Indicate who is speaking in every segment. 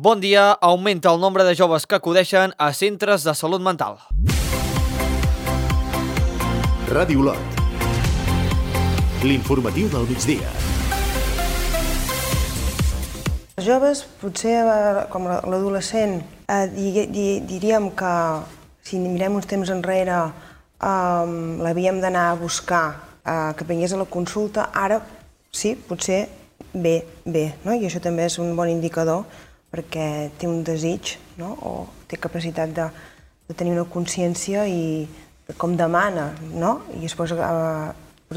Speaker 1: Bon dia, augmenta el nombre de joves que acudeixen a centres de salut mental.
Speaker 2: Ràdio Lot. L'informatiu del migdia.
Speaker 3: Els joves, potser com l'adolescent, diríem que si mirem uns temps enrere l'havíem d'anar a buscar que vingués a la consulta, ara sí, potser bé, no? I això també és un bon indicador perquè té un desig, no? O té capacitat de tenir una consciència i com demana, no? I es posa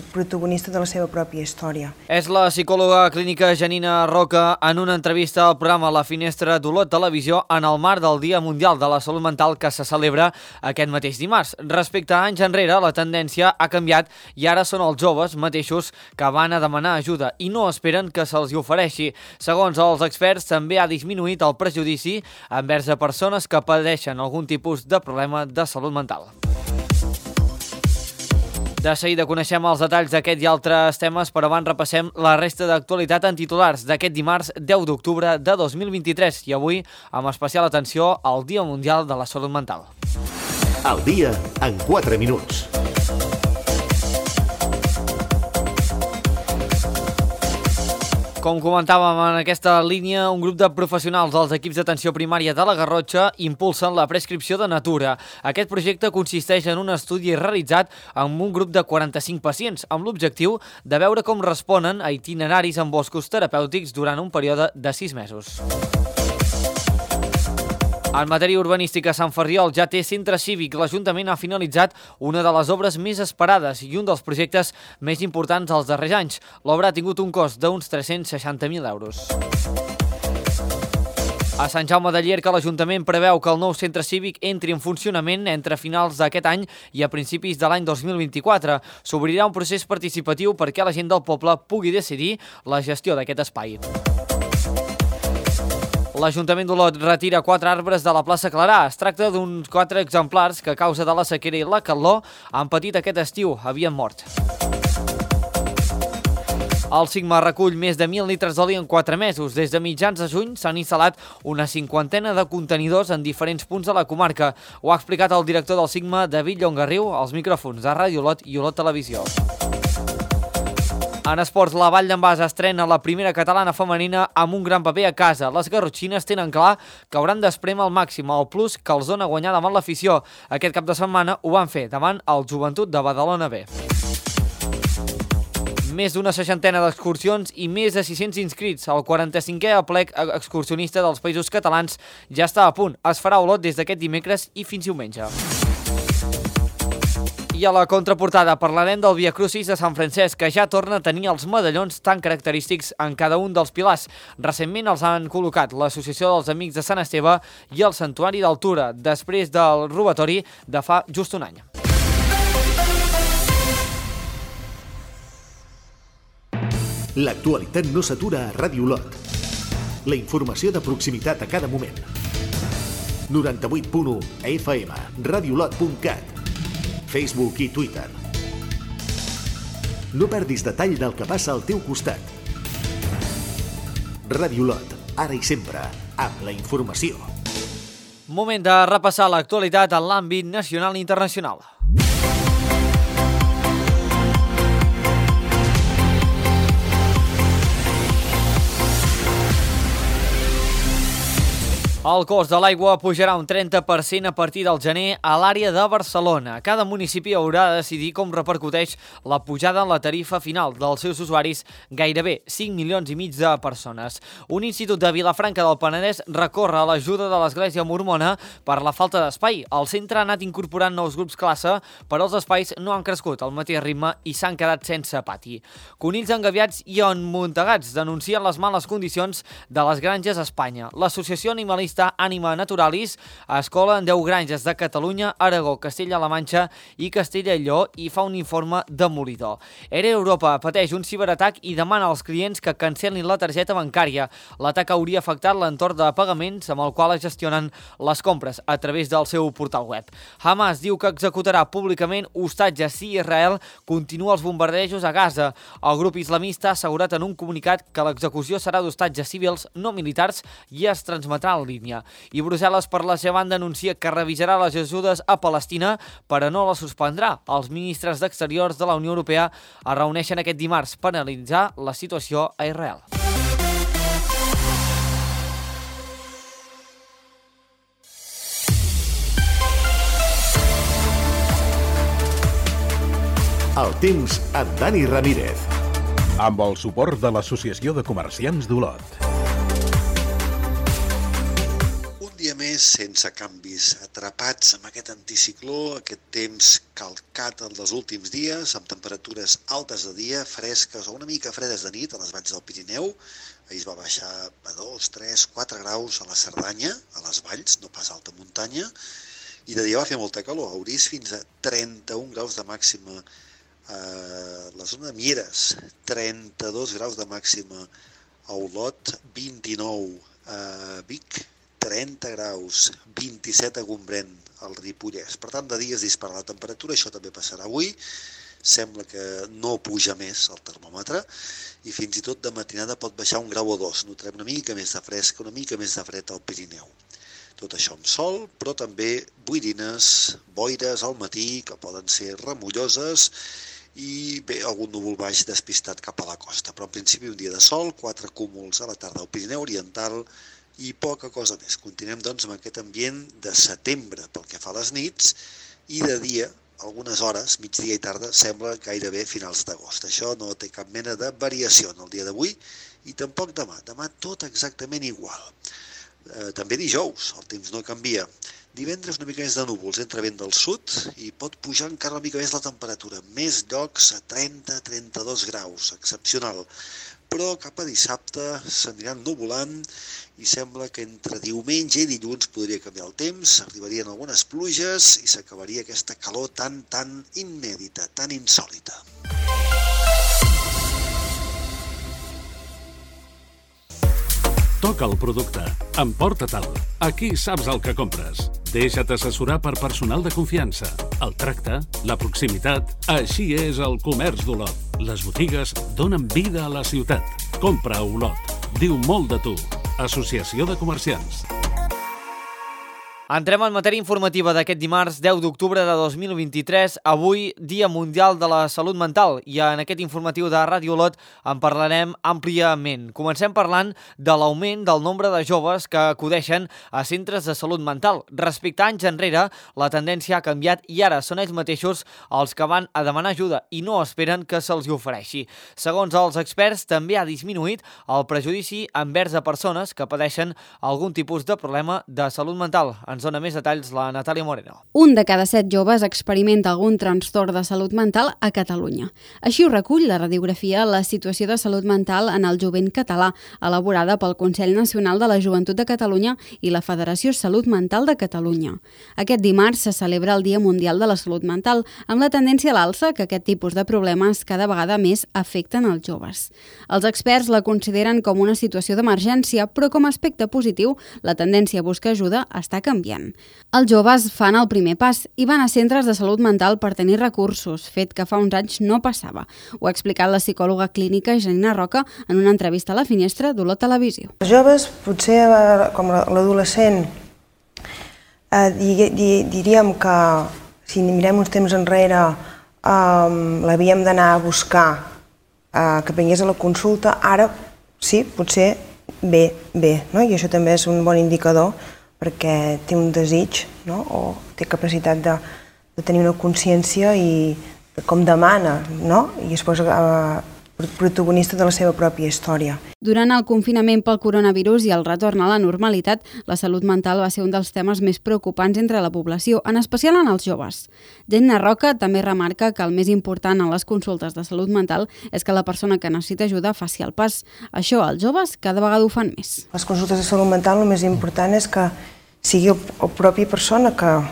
Speaker 3: protagonista de la seva pròpia història.
Speaker 1: És la psicòloga clínica Janina Roca en una entrevista al programa La Finestra d'Olot Televisió en el marc del Dia Mundial de la Salut Mental que se celebra aquest mateix dimarts. Respecte a anys enrere, la tendència ha canviat i ara són els joves mateixos que van a demanar ajuda i no esperen que se'ls hi ofereixi. Segons els experts, també ha disminuït el prejudici envers a persones que pateixen algun tipus de problema de salut mental. De seguida coneixem els detalls d'aquest i altres temes, però abans repassem la resta d'actualitat en titulars d'aquest dimarts 10 d'octubre de 2023 i avui amb especial atenció al Dia Mundial de la Salut Mental.
Speaker 2: El dia en 4 minuts.
Speaker 1: Com comentàvem en aquesta línia, un grup de professionals dels equips d'atenció primària de la Garrotxa impulsen la prescripció de natura. Aquest projecte consisteix en un estudi realitzat amb un grup de 45 pacients, amb l'objectiu de veure com responen a itineraris en boscos terapèutics durant un període de 6 mesos. En matèria urbanística, Sant Ferriol ja té centre cívic. L'Ajuntament ha finalitzat una de les obres més esperades i un dels projectes més importants dels darrers anys. L'obra ha tingut un cost d'uns 360.000 euros. A Sant Jaume de Llierca, l'Ajuntament preveu que el nou centre cívic entri en funcionament entre finals d'aquest any i a principis de l'any 2024. S'obrirà un procés participatiu perquè la gent del poble pugui decidir la gestió d'aquest espai. L'Ajuntament d'Olot retira 4 arbres de la plaça Clarà. Es tracta d'uns 4 exemplars que a causa de la sequera i la calor han patit aquest estiu, havien mort. El Sigma recull més de 1.000 litres d'oli en 4 mesos. Des de mitjans de juny s'han instal·lat una 50 de contenidors en diferents punts de la comarca. Ho ha explicat el director del Sigma, David Llongarriu, als micròfons de Ràdio Olot i Olot Televisió. En esports, la Vall d'en Bas estrena la primera catalana femenina amb un gran paper a casa. Les garrotxines tenen clar que hauran d'esprémer al màxim el plus que els dona guanyar davant l'afició. Aquest cap de setmana ho van fer davant el Joventut de Badalona B. Més d'una 60 d'excursions i més de 600 inscrits. El 45è aplec excursionista dels Països Catalans ja està a punt. Es farà a Olot des d'aquest dimecres i fins diumenge. I a la contraportada parlarem del Via Crucis de Sant Francesc, que ja torna a tenir els medallons tan característics en cada un dels pilars. Recentment els han col·locat l'Associació dels Amics de Sant Esteve i el Santuari d'Altura, després del robatori de fa just un any.
Speaker 2: L'actualitat no s'atura a Ràdio Lot. La informació de proximitat a cada moment. 98.1 FM, radiolot.cat, Facebook i Twitter. No perdis detall del que passa al teu costat. Ràdio Lot, ara i sempre, amb la informació.
Speaker 1: Moment de repassar l'actualitat en l'àmbit nacional i internacional. El cost de l'aigua pujarà un 30% a partir del gener a l'àrea de Barcelona. Cada municipi haurà de decidir com repercuteix la pujada en la tarifa final dels seus usuaris, gairebé 5,5 milions de persones. Un institut de Vilafranca del Penedès recorre a l'ajuda de l'Església Mormona per la falta d'espai. El centre ha anat incorporant nous grups classe, però els espais no han crescut al mateix ritme i s'han quedat sense pati. Conills engaviats i emmuntegats denuncien les males condicions de les granges a Espanya. L'Associació Animalista associacionista Anima Naturalis es cola en 10 granges de Catalunya, Aragó, Castella-La Manxa i Castella i Lleó i fa un informe demolidor. Era Europa pateix un ciberatac i demana als clients que cancel·lin la targeta bancària. L'atac hauria afectat l'entorn de pagaments amb el qual es gestionen les compres a través del seu portal web. Hamas diu que executarà públicament hostatges si Israel continua els bombardejos a Gaza. El grup islamista ha assegurat en un comunicat que l'execució serà d'hostatges civils no militars i es transmetrà en línia. I Brussel·les, per la seva banda, anuncia que revisarà les ajudes a Palestina, però no les suspendrà. Els ministres d'Exteriors de la Unió Europea es reuneixen aquest dimarts per analitzar la situació a Israel.
Speaker 2: El temps amb Dani Ramírez.
Speaker 4: Amb el suport de l'Associació de Comerciants d'Olot.
Speaker 5: Un dia més sense canvis, atrapats amb aquest anticicló, aquest temps calcat dels últims dies, amb temperatures altes de dia, fresques o una mica fredes de nit a les valls del Pirineu. Ahir es va baixar a 2, 3, 4 graus a la Cerdanya, a les valls, no pas a alta muntanya, i de dia va fer molta calor, a Orís fins a 31 graus de màxima a la zona de Mieres, 32 graus de màxima a Olot, 29 a Vic, 30 graus, 27 a Gombrèn, al Ripollès. Per tant, de dia es dispara la temperatura, això també passarà avui. Sembla que no puja més el termòmetre i fins i tot de matinada pot baixar 1 grau o 2. Notarem una mica més de fresca, una mica més de fred al Pirineu. Tot això amb sol, però també boirines, boires al matí, que poden ser remulloses, i bé, algun núvol baix despistat cap a la costa. Però en principi un dia de sol, 4 cúmuls a la tarda al Pirineu Oriental i poca cosa més. Continuem doncs amb aquest ambient de setembre pel que fa a les nits i de dia, algunes hores, migdia i tarda, sembla gairebé finals d'agost. Això no té cap mena de variació en el dia d'avui i tampoc demà. Demà tot exactament igual. També dijous, el temps no canvia. Divendres una mica més de núvols, entra vent del sud i pot pujar encara una mica més la temperatura. Més llocs a 30-32 graus, excepcional. Però cap a dissabte s'aniran nuvolant i sembla que entre diumenge i dilluns podria canviar el temps, arribarien algunes pluges i s'acabaria aquesta calor tan inèdita, tan insòlita.
Speaker 4: Toca el producte. Emporta-te'l. Aquí saps el que compres. Deixa't assessorar per personal de confiança. El tracte, la proximitat... Així és el comerç d'Olot. Les botigues donen vida a la ciutat. Compra a Olot. Diu molt de tu. Associació de Comerciants.
Speaker 1: Entrem en matèria informativa d'aquest dimarts 10 d'octubre de 2023, avui Dia Mundial de la Salut Mental, i en aquest informatiu de Ràdio Olot en parlarem àmpliament. Comencem parlant de l'augment del nombre de joves que acudeixen a centres de salut mental. Respecte a anys enrere, la tendència ha canviat i ara són ells mateixos els que van a demanar ajuda i no esperen que se'ls ofereixi. Segons els experts, també ha disminuït el prejudici envers a persones que pateixen algun tipus de problema de salut mental. Ens dona més detalls la Natàlia Moreno.
Speaker 6: Un de cada 7 joves experimenta algun trastorn de salut mental a Catalunya. Així ho recull la radiografia La situació de salut mental en el jovent català, elaborada pel Consell Nacional de la Joventut de Catalunya i la Federació Salut Mental de Catalunya. Aquest dimarts se celebra el Dia Mundial de la Salut Mental, amb la tendència a l'alça que aquest tipus de problemes cada vegada més afecten els joves. Els experts la consideren com una situació d'emergència, però com a aspecte positiu, la tendència a buscar ajuda està canviant. Els joves fan el primer pas i van a centres de salut mental per tenir recursos, fet que fa uns anys no passava. Ho ha explicat la psicòloga clínica Janina Roca en una entrevista a La Finestra d'Olot Televisió.
Speaker 3: Els joves, potser com l'adolescent, diríem que si mirem uns temps enrere l'havíem d'anar a buscar que vingués a la consulta, ara sí, potser bé, no? I això també és un bon indicador perquè té un desig, no? O té capacitat de tenir una consciència i de com demana, no? I després protagonista de la seva pròpia història.
Speaker 6: Durant el confinament pel coronavirus i el retorn a la normalitat, la salut mental va ser un dels temes més preocupants entre la població, en especial en els joves. Jenna Roca també remarca que el més important en les consultes de salut mental és que la persona que necessita ajuda faci el pas. Això els joves cada vegada ho fan més.
Speaker 3: Les consultes de salut mental el més important és que sigui el propi persona que a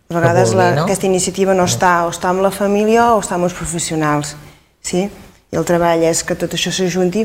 Speaker 3: vegades aquesta iniciativa no està o està amb la família o està amb els professionals. Sí? I el treball és que tot això s'ajunti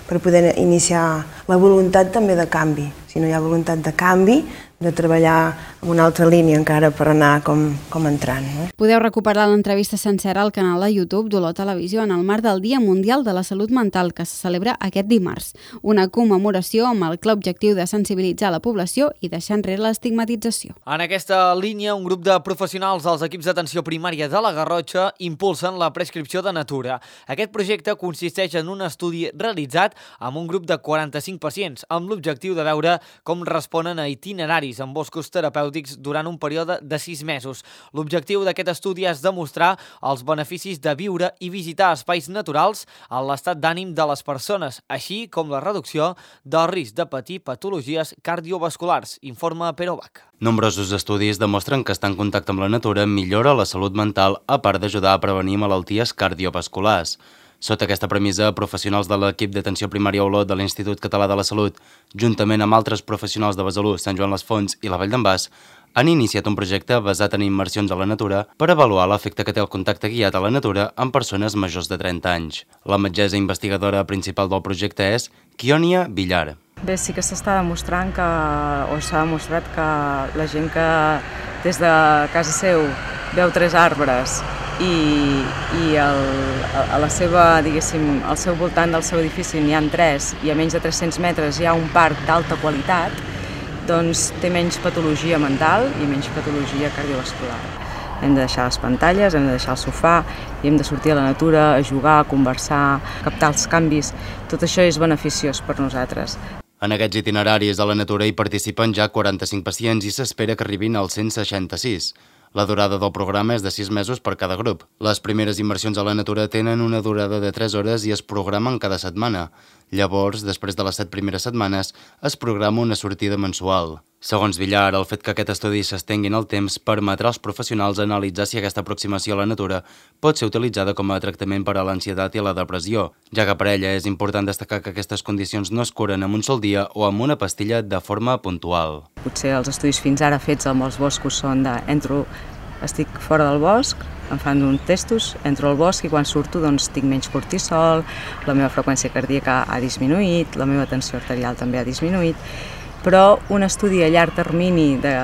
Speaker 3: per poder iniciar la voluntat també de canvi. Si no hi ha voluntat de canvi, de treballar en una altra línia encara per anar com entrant. No?
Speaker 6: Podeu recuperar l'entrevista sencera al canal de YouTube d'Olot Televisió en el marc del Dia Mundial de la Salut Mental, que se celebra aquest dimarts. Una commemoració amb el clar objectiu de sensibilitzar la població i deixar enrere l'estigmatització.
Speaker 1: En aquesta línia, un grup de professionals dels equips d'atenció primària de la Garrotxa impulsen la prescripció de natura. Aquest projecte consisteix en un estudi realitzat amb un grup de 45 pacients, amb l'objectiu de veure com responen a itineraris en boscos terapèutics durant un període de 6 mesos. L'objectiu d'aquest estudi és demostrar els beneficis de viure i visitar espais naturals a l'estat d'ànim de les persones, així com la reducció del risc de patir patologies cardiovasculars, informa Pere Bach.
Speaker 7: Nombrosos estudis demostren que estar en contacte amb la natura millora la salut mental, a part d'ajudar a prevenir malalties cardiovasculars. Sota aquesta premissa, professionals de l'equip d'atenció primària Olot de l'Institut Català de la Salut, juntament amb altres professionals de Besalú, Sant Joan les Fonts i la Vall d'en Bas, han iniciat un projecte basat en immersions a la natura per avaluar l'efecte que té el contacte guiat a la natura en persones majors de 30 anys. La metgessa investigadora principal del projecte és Kionia Villar.
Speaker 8: Bé, sí que s'està demostrant s'ha demostrat que la gent que des de casa seu veu 3 arbres i a la seva, diguéssim, al seu voltant del seu edifici n'hi ha 3 i a menys de 300 metres hi ha un parc d'alta qualitat, doncs té menys patologia mental i menys patologia cardiovascular. Hem de deixar les pantalles, hem de deixar el sofà i hem de sortir a la natura, a jugar, a conversar, a captar els canvis. Tot això és beneficiós per nosaltres.
Speaker 7: En aquests itineraris a la natura hi participen ja 45 pacients i s'espera que arribin als 166. La durada del programa és de 6 mesos per cada grup. Les primeres immersions a la natura tenen una durada de 3 hores i es programen cada setmana. Llavors, després de les 7 primeres setmanes, es programa una sortida mensual. Segons Villar, el fet que aquest estudi s'estengui en el temps permetrà als professionals analitzar si aquesta aproximació a la natura pot ser utilitzada com a tractament per a l'ansietat i la depressió, ja que per ella és important destacar que aquestes condicions no es curen en un sol dia o amb una pastilla de forma puntual.
Speaker 8: Potser els estudis fins ara fets amb els boscos són estic fora del bosc, em fan uns testos, entro al bosc i quan surto doncs tinc menys cortisol, la meva freqüència cardíaca ha disminuït, la meva tensió arterial també ha disminuït, però un estudi a llarg termini de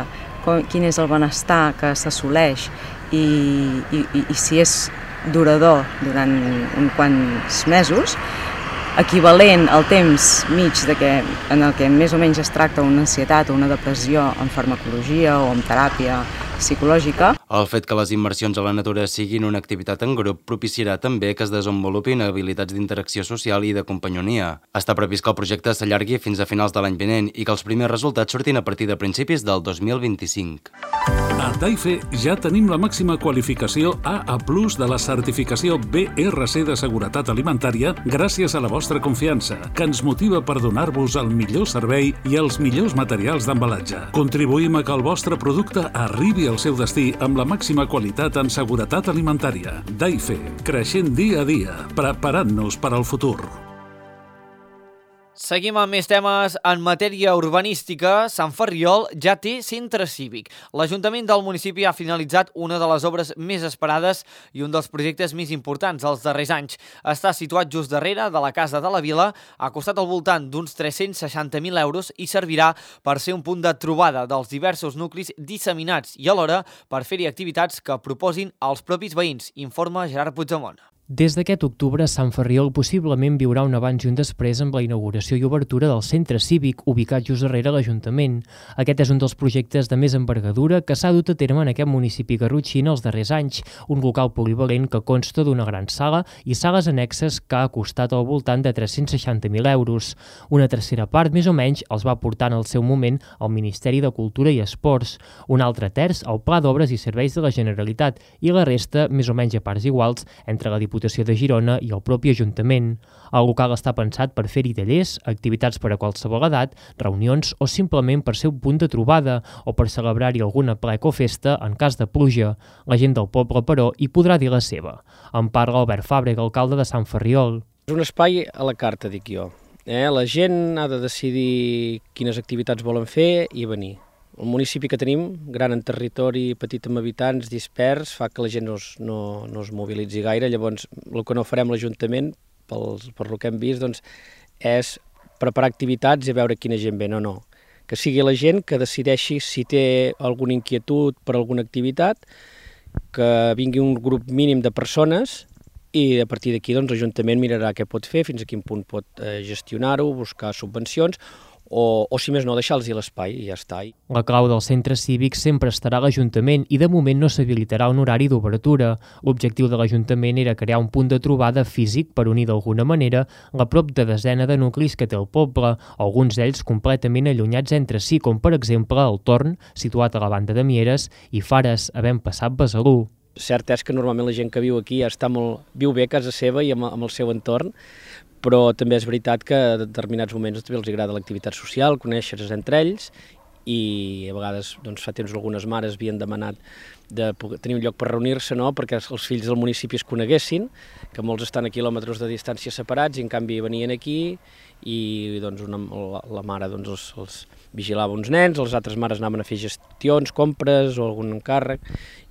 Speaker 8: quin és el benestar que s'assoleix i si és durador durant uns quants mesos, equivalent al temps mig en el que més o menys es tracta una ansietat o una depressió en farmacologia o en teràpia psicològica.
Speaker 7: El fet que les immersions a la natura siguin una activitat en grup propiciarà també que es desenvolupin habilitats d'interacció social i de companyonia. Està previst que el projecte s'allargui fins a finals de l'any vinent i que els primers resultats surtin a partir de principis del 2025.
Speaker 4: A Daife ja tenim la màxima qualificació AA+ de la certificació BRC de seguretat alimentària gràcies a la vostra confiança, que ens motiva per donar-vos el millor servei i els millors materials d'embalatge. Contribuïm a que el vostre producte arribi al seu destí amb la màxima qualitat en seguretat alimentària. Daife, creixent dia a dia, preparant-nos per al futur.
Speaker 1: Seguim amb més temes. En matèria urbanística, Sant Ferriol ja té centre cívic. L'Ajuntament del municipi ha finalitzat una de les obres més esperades i un dels projectes més importants dels darrers anys. Està situat just darrere de la Casa de la Vila, ha costat al voltant d'uns 360.000 euros i servirà per ser un punt de trobada dels diversos nuclis disseminats i alhora per fer-hi activitats que proposin als propis veïns, informa Gerard Puigdemont.
Speaker 9: Des d'aquest octubre, Sant Ferriol possiblement viurà un abans i un després amb la inauguració i obertura del centre cívic ubicat just darrere l'Ajuntament. Aquest és un dels projectes de més envergadura que s'ha dut a terme en aquest municipi garrotxí en els darrers anys, un local polivalent que consta d'una gran sala i sales annexes que ha costat al voltant de 360.000 euros. Una tercera part, més o menys, els va portar en el seu moment al Ministeri de Cultura i Esports, un altre terç al Pla d'Obres i Serveis de la Generalitat i la resta, més o menys a parts iguals, entre la Diputació Diputació de Girona i el propi Ajuntament. El local està pensat per fer-hi tallers, activitats per a qualsevol edat, reunions o simplement per ser un punt de trobada o per celebrar-hi alguna plec o festa en cas de pluja. La gent del poble, però, hi podrà dir la seva. En parla Albert Fàbrega, alcalde de Sant Ferriol.
Speaker 10: És un espai a la carta, dic jo. La gent ha de decidir quines activitats volen fer i venir. El municipi que tenim, gran en territori, petit amb habitants, dispers, fa que la gent no es mobilitzi gaire. Llavors, el que no farem l'Ajuntament, per lo que hem vist, doncs, és preparar activitats i veure quina gent ve. No. Que sigui la gent que decideixi si té alguna inquietud per alguna activitat, que vingui un grup mínim de persones i a partir d'aquí doncs, l'Ajuntament mirarà què pot fer, fins a quin punt pot gestionar-ho, buscar subvencions, o si més no, deixar-los l'espai i ja està.
Speaker 9: La clau del centre cívic sempre estarà a l'Ajuntament i de moment no s'habilitarà un horari d'obertura. L'objectiu de l'Ajuntament era crear un punt de trobada físic per unir d'alguna manera la prop de desena de nuclis que té el poble, alguns d'ells completament allunyats entre si, com per exemple el Torn, situat a la banda de Mieres, i Fares, havent passat Besalú.
Speaker 10: Cert és que normalment la gent que viu aquí viu bé a casa seva i amb el seu entorn, però també és veritat que a determinats moments també els agrada l'activitat social, conèixer-se entre ells, i a vegades fa temps algunes mares havien demanat de tenir un lloc per reunir-se, perquè els fills del municipi es coneguessin, que molts estan a quilòmetres de distància separats i en canvi venien aquí i la mare els vigilava uns nens, les altres mares anaven a fer gestions, compres o algun encàrrec,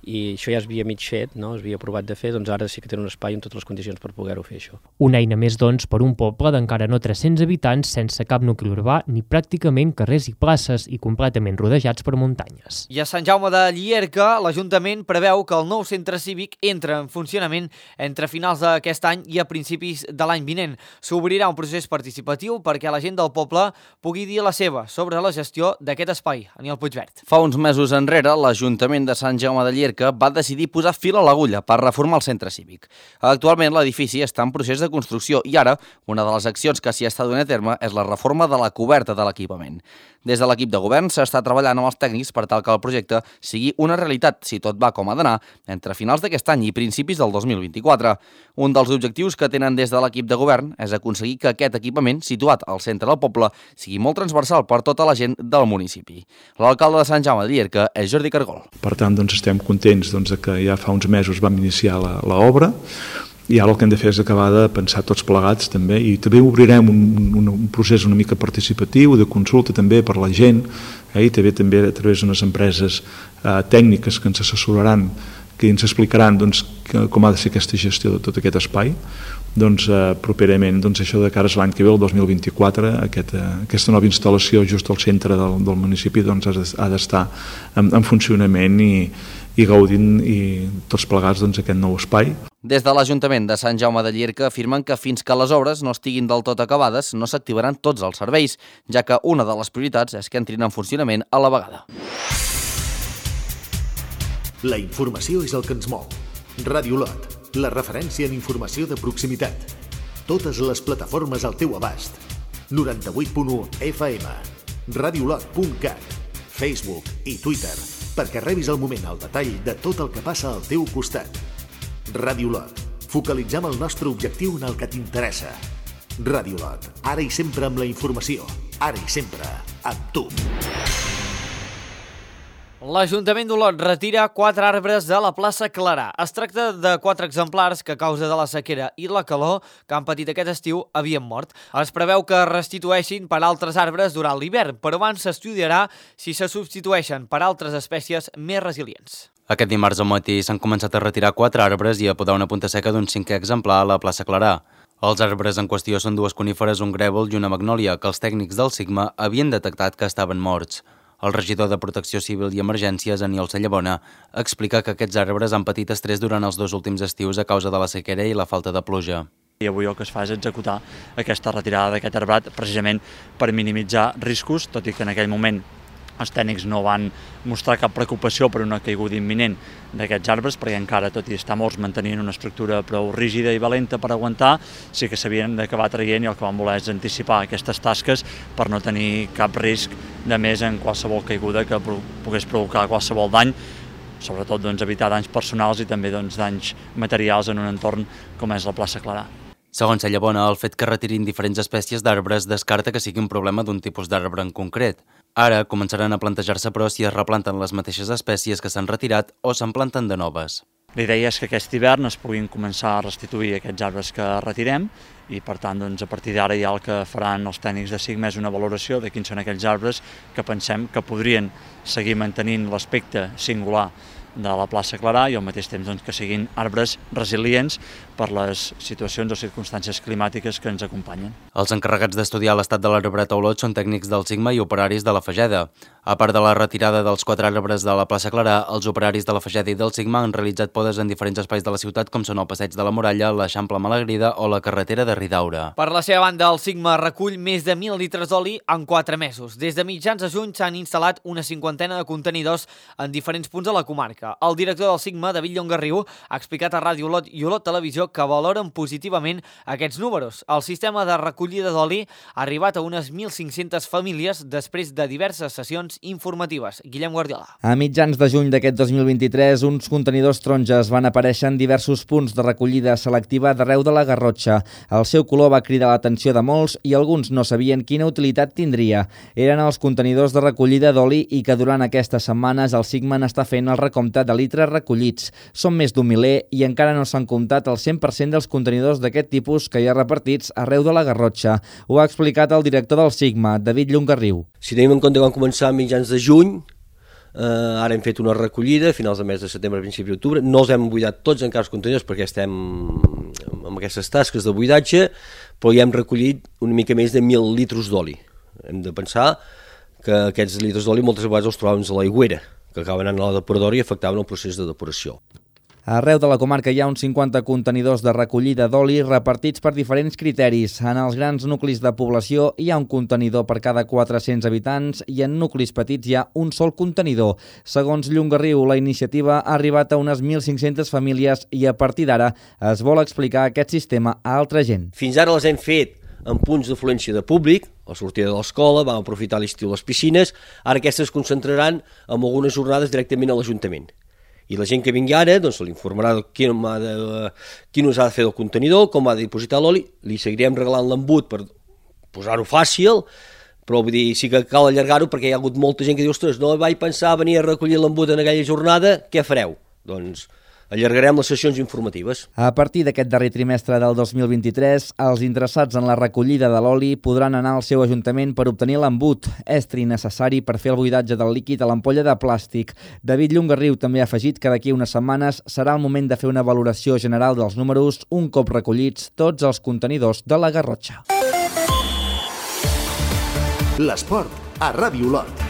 Speaker 10: i això ja es havia mig fet, es havia provat de fer, doncs ara sí que tenen un espai amb totes les condicions per poder-ho fer, això.
Speaker 9: Una eina més, doncs, per un poble d'encara no 300 habitants, sense cap nucli urbà ni pràcticament carrers i places i completament rodejats per muntanyes.
Speaker 1: I a Sant Jaume de Llierca, l'Ajuntament preveu que el nou centre cívic entra en funcionament entre finals d'aquest any i a principis de l'any vinent. S'obrirà un procés participatiu perquè la gent del poble pugui dir la seva sobre la gestió d'aquest espai. Aniol Puigvert.
Speaker 11: Fa uns mesos enrere, l'Ajuntament de Sant Jaume de Llierca va decidir posar fil a l'agulla per reformar el centre cívic. Actualment l'edifici està en procés de construcció i ara una de les accions que s'hi està donant a terme és la reforma de la coberta de l'equipament. Des de l'equip de govern s'està treballant amb els tècnics per tal que el projecte sigui una realitat, si tot va com ha d'anar, entre finals d'aquest any i principis del 2024. Un dels objectius que tenen des de l'equip de govern és aconseguir que aquest equipament, situat al centre del poble, sigui molt transversal per tota la gent del municipi. L'alcalde de Sant Jaume de Llierca és Jordi Cargol.
Speaker 12: Per tant, estem contents que ja fa uns mesos vam iniciar l'obra, i ara el que hem de fer és acabar de pensar tots plegats també, i també obrirem un procés una mica participatiu, de consulta també per la gent, i també a través d'unes empreses tècniques que ens assessoraran, que ens explicaran com ha de ser aquesta gestió de tot aquest espai. Properament, això de cara a l'any que ve, el 2024, aquesta nova instal·lació just al centre del municipi ha d'estar en funcionament i gaudint tots plegats aquest nou espai.
Speaker 11: Des de l'Ajuntament de Sant Jaume de Llierca afirmen que fins que les obres no estiguin del tot acabades no s'activaran tots els serveis, ja que una de les prioritats és que entrin en funcionament a la vegada.
Speaker 2: La informació és el que ens mou. Ràdio Olot, la referència en informació de proximitat. Totes les plataformes al teu abast. 98.1 FM, radioolot.cat, Facebook i Twitter, perquè rebis al moment el detall de tot el que passa al teu costat. Ràdio Olot, focalitzem el nostre objectiu en el que t'interessa. Ràdio Olot, ara i sempre amb la informació, ara i sempre amb tu.
Speaker 1: L'Ajuntament d'Olot retira 4 arbres de la plaça Clarà. Es tracta de 4 exemplars que a causa de la sequera i la calor que han patit aquest estiu havien mort. Es preveu que es restitueixin per altres arbres durant l'hivern, però abans s'estudiarà si se substitueixen per altres espècies més resilients.
Speaker 7: Aquest dimarts al matí s'han començat a retirar 4 arbres i a podar una punta seca d'un 5è exemplar a la plaça Clarà. Els arbres en qüestió són 2 coníferes, un grèvol i una magnòlia, que els tècnics del Sigma havien detectat que estaven morts. El regidor de Protecció Civil i Emergències, Aniol Sallabona, explica que aquests arbres han patit estrès durant els 2 últims estius a causa de la sequera i la falta de pluja.
Speaker 13: I avui el que es fa és executar aquesta retirada d'aquest arbrat precisament per minimitzar riscos, tot i que en aquell moment els tècnics no van mostrar cap preocupació per una caiguda imminent d'aquests arbres, perquè encara, tot i estar morts, mantenien una estructura prou rígida i valenta per aguantar, sí que s'havien d'acabar traient i el que van voler és anticipar aquestes tasques per no tenir cap risc de més en qualsevol caiguda que pogués provocar qualsevol dany, sobretot evitar danys personals i també danys materials en un entorn com és la plaça Clarà.
Speaker 7: Segons Cellabona, el fet que retirin diferents espècies d'arbres descarta que sigui un problema d'un tipus d'arbre en concret. Ara començaran a plantejar-se però si es replanten les mateixes espècies que s'han retirat o se'n planten de noves.
Speaker 13: La idea és que aquest hivern es puguin començar a restituir aquests arbres que retirem i, per tant, a partir d'ara ja el que faran els tècnics de SIGMA és una valoració de quins són aquells arbres que pensem que podrien seguir mantenint l'aspecte singular de la plaça Clarà i al mateix temps que siguin arbres resilients per les situacions o circumstàncies climàtiques que ens acompanyen.
Speaker 7: Els encarregats d'estudiar l'estat de l'arbret a Olot són tècnics del SIGMA i operaris de la Fageda. A part de la retirada dels 4 arbres de la plaça Clarà, els operaris de la Fageda i del SIGMA han realitzat podes en diferents espais de la ciutat com són el Passeig de la Muralla, l'Eixample Malagrida o la carretera de Ridaura.
Speaker 1: Per la seva banda, el SIGMA recull més de 1.000 litres d'oli en 4 mesos. Des de mitjans de juny s'han instal·lat una 50ena de contenidors en diferents punts de la comarca. El director del SIGMA, David Llongarriu, ha explicat a Ràdio Olot i Olot Televisió que valoren positivament aquests números. El sistema de recollida d'oli ha arribat a unes 1.500 famílies després de diverses sessions informatives. Guillem Guardiola.
Speaker 14: A mitjans de juny d'aquest 2023, uns contenidors taronges van aparèixer en diversos punts de recollida selectiva d'arreu de la Garrotxa. El seu color va cridar l'atenció de molts i alguns no sabien quina utilitat tindria. Eren els contenidors de recollida d'oli i que durant aquestes setmanes el SIGMA n'està fent el recompte de litres recollits. Són més d'un miler i encara no s'han comptat el 100% dels contenidors d'aquest tipus que hi ha repartits arreu de la Garrotxa. Ho ha explicat el director del SIGMA, David Llongarriu.
Speaker 15: Si tenim en compte que vam començar a mitjans de juny, ara hem fet una recollida a finals de mes de setembre, principi d'octubre. No els hem buidat tots encara els contenidors perquè estem amb aquestes tasques de buidatge, però ja hem recollit una mica més de 1.000 litres d'oli. Hem de pensar que aquests litres d'oli moltes vegades els trobàvem a l'aigüera, que acaben anant a la depuradora i afectaven el procés de depuració.
Speaker 14: Arreu de la comarca hi ha uns 50 contenidors de recollida d'oli repartits per diferents criteris. En els grans nuclis de població hi ha un contenidor per cada 400 habitants i en nuclis petits hi ha un sol contenidor. Segons Llongarriu, la iniciativa ha arribat a unes 1.500 famílies i a partir d'ara es vol explicar aquest sistema a altra gent.
Speaker 15: Fins ara les hem fet en punts d'afluència de públic, a la sortida de l'escola, vam aprofitar l'estiu les piscines, ara aquestes es concentraran en algunes jornades directament a l'Ajuntament. I la gent que vingui ara doncs, se li informarà quin us ha de fer el contenidor, com ha de dipositar l'oli, li seguirem regalant l'embut per posar-ho fàcil, però vull dir, sí que cal allargar-ho perquè hi ha hagut molta gent que diu, ostres, no vaig pensar venir a recollir l'embut en aquella jornada, què fareu? Doncs allargarem les sessions informatives.
Speaker 14: A partir d'aquest darrer trimestre del 2023, els interessats en la recollida de l'oli podran anar al seu ajuntament per obtenir l'embut, estri necessari per fer el buidatge del líquid a l'ampolla de plàstic. David Llongarriu també ha afegit que d'aquí unes setmanes serà el moment de fer una valoració general dels números un cop recollits tots els contenidors de la Garrotxa.
Speaker 2: L'esport a Ràdio Olot.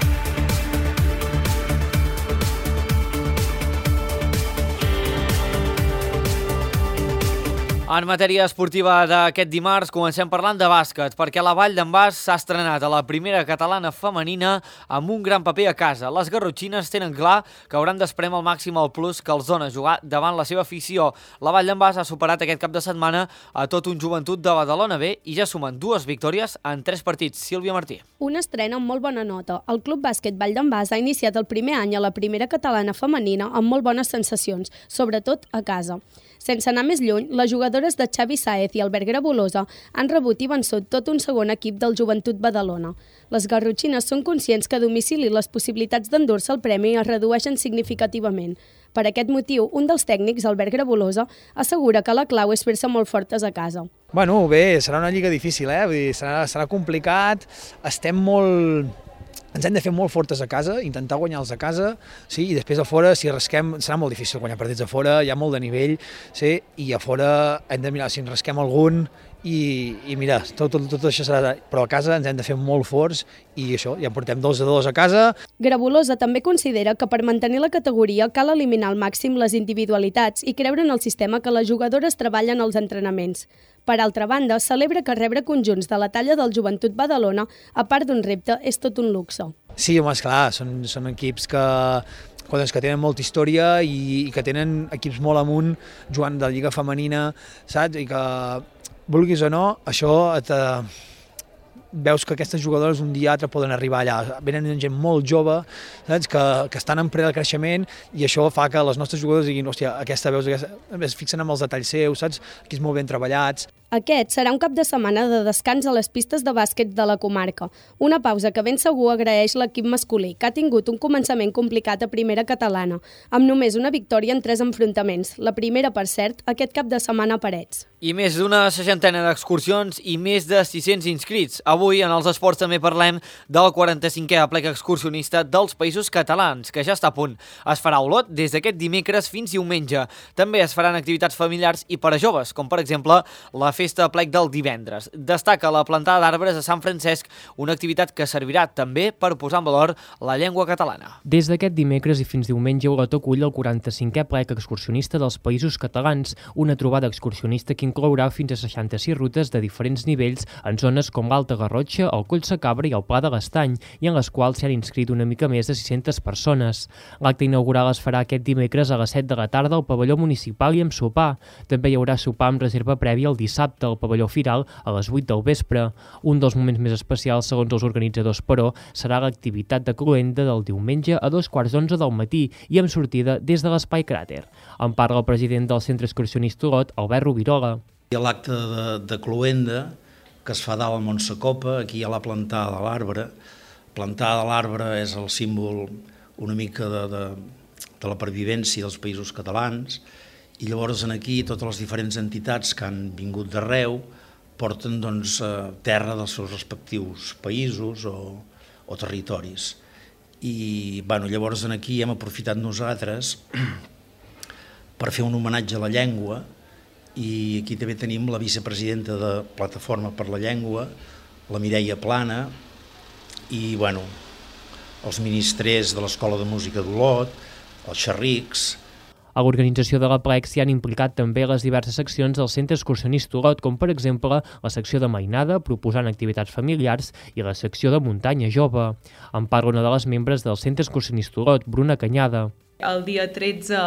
Speaker 1: En matèria esportiva d'aquest dimarts comencem parlant de bàsquet, perquè la Vall d'en Bas s'ha estrenat a la primera catalana femenina amb un gran paper a casa. Les garrotxines tenen clar que hauran d'espremar al màxim el plus que els dona jugar davant la seva afició. La Vall d'en Bas ha superat aquest cap de setmana a tot un Joventut de Badalona B i ja sumen 2 victòries en 3 partits. Sílvia Martí.
Speaker 16: Una estrena amb molt bona nota. El Club Bàsquet Vall d'en Bas ha iniciat el primer any a la primera catalana femenina amb molt bones sensacions, sobretot a casa. Sense anar més lluny, les jugadores de Xavi Sáez i Albert Grabolosa han rebut i vençut tot un segon equip del Joventut Badalona. Les garrotxines són conscients que a domicili les possibilitats d'endur-se el premi es redueixen significativament. Per aquest motiu, un dels tècnics, Albert Grabolosa, assegura que la clau és fer-se molt fortes a casa.
Speaker 17: Bueno, bé, serà una lliga difícil, Vull dir, serà complicat, ens hem de fer molt fortes a casa, intentar guanyar-los a casa, sí, i després a fora, si rasquem, serà molt difícil guanyar partits a fora, hi ha molt de nivell, sí, i a fora hem de mirar si ens rasquem algun i mira, tot això serà... Però a casa ens hem de fer molt forts i això, ja portem 2-2 a casa.
Speaker 16: Grabolosa també considera que per mantenir la categoria cal eliminar al màxim les individualitats i creure en el sistema que les jugadores treballen als entrenaments. Per altra banda, celebra que rebre conjunts de la talla del Joventut Badalona, a part d'un repte, és tot un luxe.
Speaker 17: Sí, home, esclar, són equips que tenen molta història i que tenen equips molt amunt jugant de lliga femenina, saps? I que, vulguis o no, això veus que aquestes jugadores un dia o altre poden arribar allà. Venen gent molt jove, saps? Que estan en ple de creixement i això fa que les nostres jugadores diguin, hòstia, es fixen en els detalls seus, saps? Aquí és molt ben treballats.
Speaker 16: Aquest serà un cap de setmana de descans a les pistes de bàsquet de la comarca. Una pausa que ben segur agraeix l'equip masculí, que ha tingut un començament complicat a primera catalana, amb només una victòria en 3 enfrontaments. La primera, per cert, aquest cap de setmana a Parets.
Speaker 1: I més d'una 60 d'excursions i més de 600 inscrits. Avui, en els esports, també parlem del 45è aplec excursionista dels Països Catalans, que ja està a punt. Es farà a Olot des d'aquest dimecres fins diumenge. També es faran activitats familiars i per a joves, com per exemple la festa aplec del divendres. Destaca la plantada d'arbres a Sant Francesc, una activitat que servirà també per posar en valor la llengua catalana.
Speaker 9: Des d'aquest dimecres i fins diumenge, Olot acull el 45è aplec excursionista dels Països Catalans, una trobada excursionista que inclourà fins a 66 rutes de diferents nivells en zones com l'Alta Garrotxa, el Coll Sacabra i el Pla de l'Estany, i en les quals s'hi han inscrit una mica més de 600 persones. L'acte inaugural es farà aquest dimecres a les 7 de la tarda al pavelló municipal i amb sopar. També hi haurà sopar amb reserva prèvia el dissabte al pavelló Firal a les 8 del vespre. Un dels moments més especials, segons els organitzadors, però, serà l'activitat de cloenda del diumenge a 2:15 del matí i amb sortida des de l'Espai Cràter. En parla el president del Centre Excursionista Olot, Albert Rovirola.
Speaker 18: Hi ha l'acte de cloenda que es fa dalt al Montsecopa, aquí hi ha la plantada de l'arbre. Plantada de l'arbre és el símbol una mica de la pervivència dels Països Catalans, i llavors aquí totes les diferents entitats que han vingut d'arreu porten terra dels seus respectius països o territoris. I llavors aquí hem aprofitat nosaltres per fer un homenatge a la llengua, i aquí també tenim la vicepresidenta de Plataforma per la Llengua, la Mireia Plana, i els ministrers de l'Escola de Música d'Olot, els xerrics.
Speaker 9: A l'organització de l'aplec s'hi han implicat també les diverses seccions del Centre Excursionista Olot, com per exemple la secció de mainada, proposant activitats familiars, i la secció de muntanya jove. En parla una de les membres del Centre Excursionista Olot, Bruna Canyada.
Speaker 19: El dia 13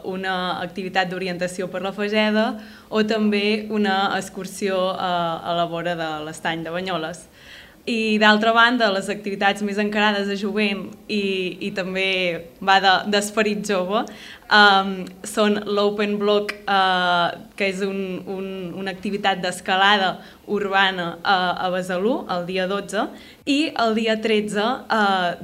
Speaker 19: una activitat d'orientació per la Fageda o també una excursió a la vora de l'estany de Banyoles. I d'altra banda, les activitats més encarades a jovent i també va d'esperit jove són l'Open Block, que és una activitat d'escalada urbana a Besalú, el dia 12, i el dia 13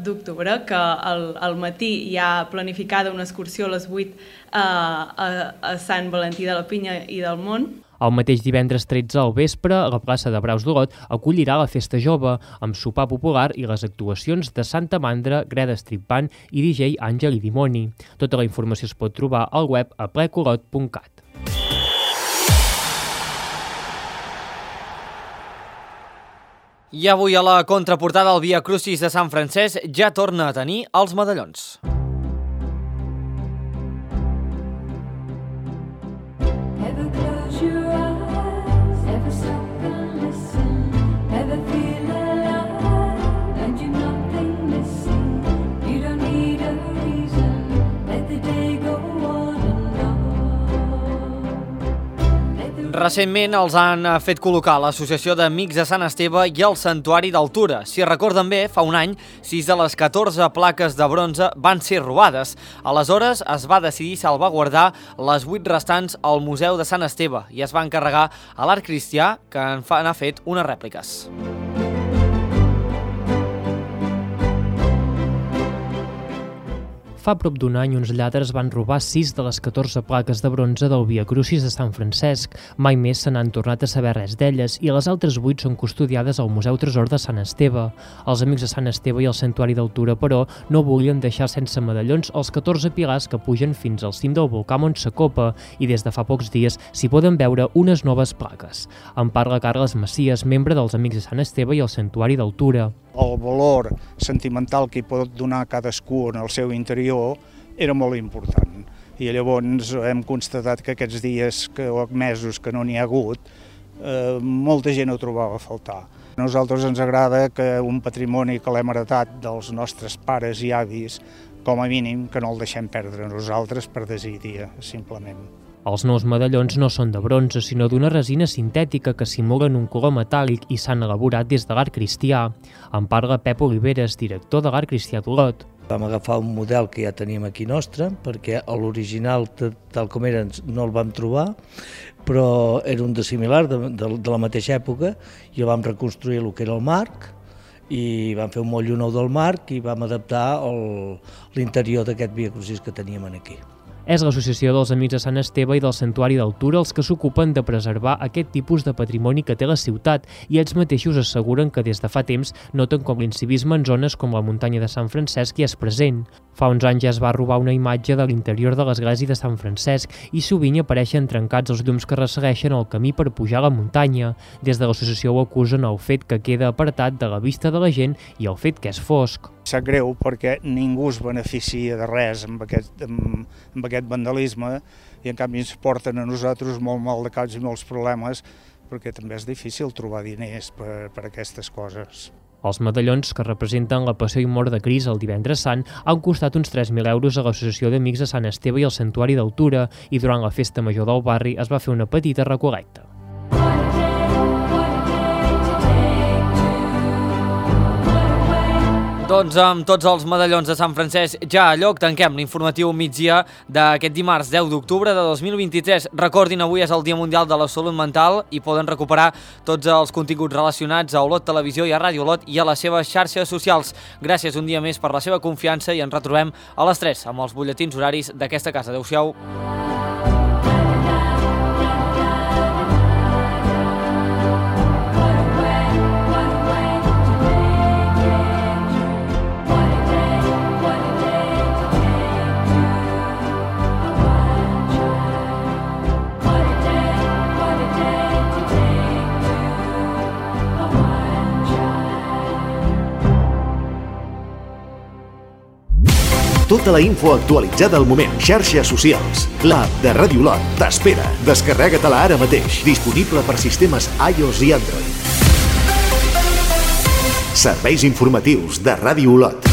Speaker 19: d'octubre, que al matí hi ha planificada una excursió a les 8 a Sant Valentí de la Pinya i del Mont.
Speaker 9: El mateix divendres 13 al vespre, la plaça de Braus d'Olot acollirà la Festa Jove, amb sopar popular i les actuacions de Santa Mandra, Greda Strip Band i DJ Àngel i Dimoni. Tota la informació es pot trobar al web aplecolot.cat.
Speaker 1: I avui a la contraportada el Via Crucis de Sant Francesc ja torna a tenir els medallons. Recentment els han fet col·locar l'Associació d'Amics de Sant Esteve i el Santuari d'Altura. Si recorden bé, fa un any, 6 de les 14 plaques de bronze van ser robades. Aleshores es va decidir salvaguardar les 8 restants al Museu de Sant Esteve i es va encarregar a l'Art Cristià, que n'ha fet unes rèpliques.
Speaker 9: Fa prop d'un any, uns lladres van robar 6 de les 14 plaques de bronze del Via Crucis de Sant Francesc. Mai més se n'han tornat a saber res d'elles i les altres 8 són custodiades al Museu Tresor de Sant Esteve. Els Amics de Sant Esteve i el Santuari d'Altura, però, no volien deixar sense medallons els 14 pilars que pugen fins al cim del volcà Montsecopa i des de fa pocs dies s'hi poden veure unes noves plaques. En parla Carles Macias, membre dels Amics de Sant Esteve i el Santuari d'Altura.
Speaker 20: El valor sentimental que hi pot donar cadascú en el seu interior era molt important. I llavors hem constatat que aquests dies o mesos que no n'hi ha hagut, molta gent ho trobava a faltar. A nosaltres ens agrada que un patrimoni que l'hem heretat dels nostres pares i avis, com a mínim, que no el deixem perdre nosaltres per desídia, simplement.
Speaker 9: Els nous medallons no són de bronze, sinó d'una resina sintètica que simulen un color metàl·lic i s'han elaborat des de l'art cristià. En parla Pep Oliveres, director de l'art cristià d'Olot.
Speaker 21: Vam agafar un model que ja teníem aquí nostre, perquè l'original, tal com era, no el vam trobar, però era un de similar, de la mateixa època, i el vam reconstruir el que era el marc, i vam fer un motllo nou del marc i vam adaptar l'interior d'aquest Via Crucis que teníem aquí.
Speaker 9: És l'Associació dels Amics de Sant Esteve i del Santuari d'Altura els que s'ocupen de preservar aquest tipus de patrimoni que té la ciutat i ells mateixos asseguren que des de fa temps noten com l'incivisme en zones com la muntanya de Sant Francesc hi és present. Fa uns anys ja es va robar una imatge de l'interior de l'església de Sant Francesc i sovint apareixen trencats els llums que ressegueixen el camí per pujar a la muntanya. Des de l'associació ho acusen el fet que queda apartat de la vista de la gent i el fet que és fosc.
Speaker 20: Sap greu perquè ningú es beneficia de res amb aquest vandalisme i en canvi ens porten a nosaltres molt mal de caps i molts problemes perquè també és difícil trobar diners per aquestes coses.
Speaker 9: Els medallons que representen la passió i mort de Crist el divendres sant han costat uns 3.000 euros a l'Associació d'Amics de Sant Esteve i al Santuari d'Altura i durant la festa major del barri es va fer una petita recol·lecta.
Speaker 1: Doncs amb tots els medallons de Sant Francesc ja a lloc tanquem l'informatiu migdia d'aquest dimarts 10 d'octubre de 2023. Recordin, avui és el Dia Mundial de la Salut Mental i poden recuperar tots els continguts relacionats a Olot Televisió i a Ràdio Olot i a les seves xarxes socials. Gràcies un dia més per la seva confiança i ens retrobem a les 3 amb els butlletins horaris d'aquesta casa. Adéu-siau.
Speaker 2: Tota la info actualitzada al moment. Xarxes socials. L'app de Ràdio Olot t'espera. Descarrega-te-la ara mateix. Disponible per sistemes iOS i Android. Serveis informatius de Ràdio Olot.